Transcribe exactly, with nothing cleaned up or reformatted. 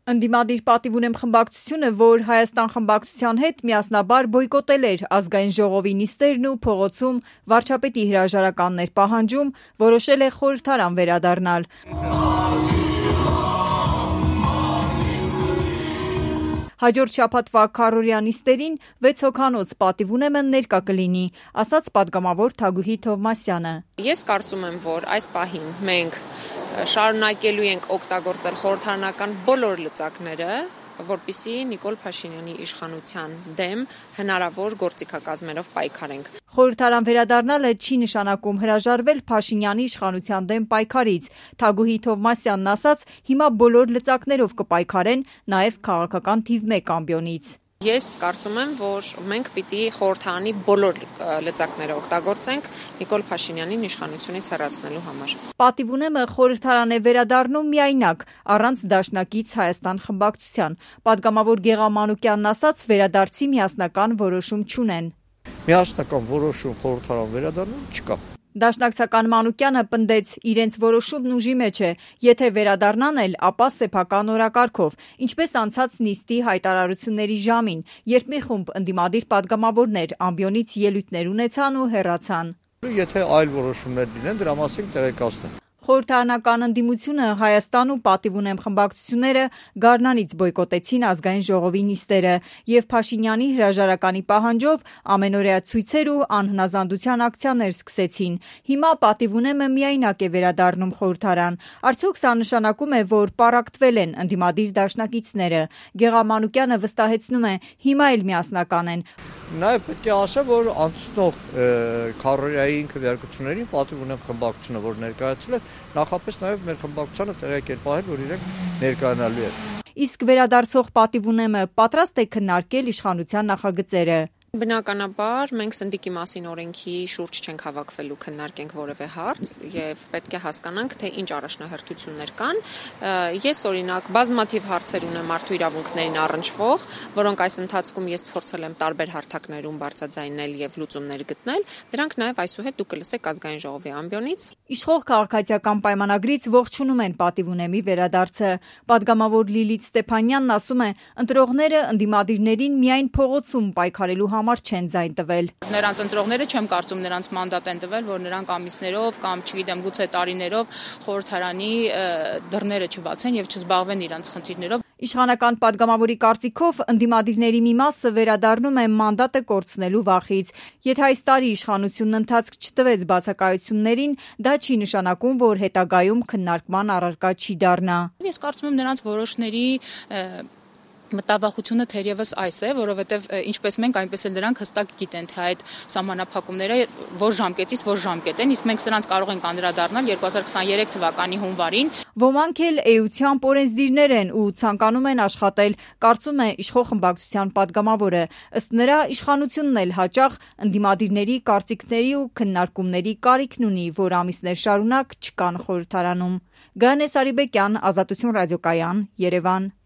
Ընդդիմադիր «Պատիվ ունեմ» խմբակցությունը, որ Հայաստան խմբակցության հետ միասնաբար բոյկոտել էր ազգային ժողովի նիստերն ու փողոցում վարչապետի հրաժարականներ պահանջում, որոշել է խորհրդարան վերադառնալ։ Հաջորդ շաբաթվա քառօրյա նիստերին վեց հոգանոց «Պատիվ ունեմ»-ը ներկա կլինի, ասաց պատգամավոր Թագուհի Թովմասյանը։ Ես կարծում եմ, որ այս պահին մենք շարունակելու ենք օգտագործել խորհրդարանական բոլոր լծակները, որպեսզի Նիկոլ Փաշինյանի իշխանության դեմ հնարավոր գործիքակազմերով պայքարենք։ Խորհրդարան վերադառնալը չի նշանակում հրաժարվել Փաշինյանի իշխանության դեմ պայքարից։ Թագուհի Թովմասյանն ասաց, հիմա բոլոր լծակներով կպայքարեն, նաև քաղաքական թիվ մեկ ամբիոնից։ Ես կարծում եմ, որ մենք պիտի խորհրդարանի բոլոր լծակները օգտագործենք Նիկոլ Փաշինյանին իշխանությունից հեռացնելու համար։ «Պատիվ ունեմ»-ը խորհրդարան է վերադառնում միայնակ, առանց դաշնակից Հայաստան խմբակցության։ Պատգամավոր Գեղամ Մանուկյանն ասաց, վերադարձի միասնական որոշում չունեն։ Միասնական որոշում խորհրդարան վերադառնալ չկա։ Դաշնակցական Մանուկյանը պնդեց, իրենց որոշումն ուժի մեջ է, եթե վերադառնան էլ, ապա սեփական օրակարգով, ինչպես անցած նիստի հայտարարությունների ժամին, երբ մի խումբ ընդդիմադիր պատգամավորներ ամբիոնից ելույթներ ունեցան ու հեռացան։ Եթե այլ որոշումներ լինեն, դրա մասին տեղեկացնեն։ Խորհրդարանական ընդդիմությունը Հայաստան ու «Պատիվ ունեմ» խմբակցությունները գարնանից բոյկոտեցին ազգային ժողովի նիստերը եւ Փաշինյանի հրաժարականի պահանջով ամենօրյա ցույցեր ու անհնազանդության ակցիաներ սկսեցին։ Հիմա «Պատիվ ունեմ»-ը միայնակ է վերադառնում խորհրդարան։ Արդյոք սա նշանակում է, որ պառակտվել են ընդդիմադիր դաշնակիցները։ Գեղամ Մանուկյանը վստահեցնում է, հիմա էլ միասնական են։ Նաև պետք է ասեմ, որ անցնող քառօրյայի քվեարկություններին «Պատիվ ունեմ» խմբակցությունը, որ ներկայացել է, նախապես նաև մեր խմբակցությանը տեղեկ էր պահել, որ իրենք ներկայանալու են։ Իսկ վերադարձող «Պատիվ ունեմ»-ը պատրաստ է քննարկել իշխանության նախագծերը։ Բնականաբար մենք Սնդիկի մասին օրենքի շուրջ չենք հավաքվելու քննարկենք որևէ հարց եւ պետք է հասկանանք, թե ինչ առաջնահերթություններ կան։ Ես օրինակ բազմաթիվ հարցեր ունեմ մարդու իրավունքներին առնչվող, որոնք այս ընթացքում ես փորձել եմ տարբեր հարթակներում բարձրաձայնել եւ լուծումներ գտնել։ Դրանք նաեւ այսուհետ դուք կլսեք ազգային ժողովի ամբիոնից։ Իշխող քաղաքացիական պայմանագրից ողջունում են «Պատիվ ունեմ»-ի վերադարձը։ Պատգամավոր Լիլիթ Ստեփանյանն ասում է, ընտրողները ընդդիմադիրներին միայն փողոցում պայքարելու համար չեն ձայն տվել։ Նրանց ընտրողները չեմ կարծում նրանց մանդատ են տվել, որ նրանք ամիսներով կամ չգիտեմ գուցե տարիներով խորհրդարանի դռները չբացեն եւ չզբաղվեն իրենց խնդիրներով։ Իշխանական պատգամավորի կարծիքով ընդդիմադիրների մի մասը վերադառնում է մանդատը կորցնելու վախից։ Եթե այս տարի իշխանությունն ընթացք չտվեց բացակայություններին, դա չի նշանակում, որ հետագայում քննարկման առարկա չի դառնա։ Ես կարծում եմ նրանց որոշների մտավախությունը թերևս այս է, որովհետև ինչպես մենք, այնպես էլ նրանք հստակ գիտեն, թե այդ սահմանափակումները որ ժամկետից որ ժամկետ են, իսկ մենք սրանց կարող ենք անդրադառնալ երկու հազար քսաներեք թվականի հունվարին։ Ոմանք էլ էությամբ օրենսդիրներ են ու ցանկանում են աշխատել, կարծում է իշխող խմբակցության պատգամավորը։ Ըստ նրա, իշխանությունն էլ հաճախ ընդդիմադիրների կարծիքների ու քննարկումների կարիքն ունի, որ ամիսներ շարունակ չկան խորհրդարանում։ Գայանե Սարիբեկյան, Ազատություն ռադիոկայան, Երևան։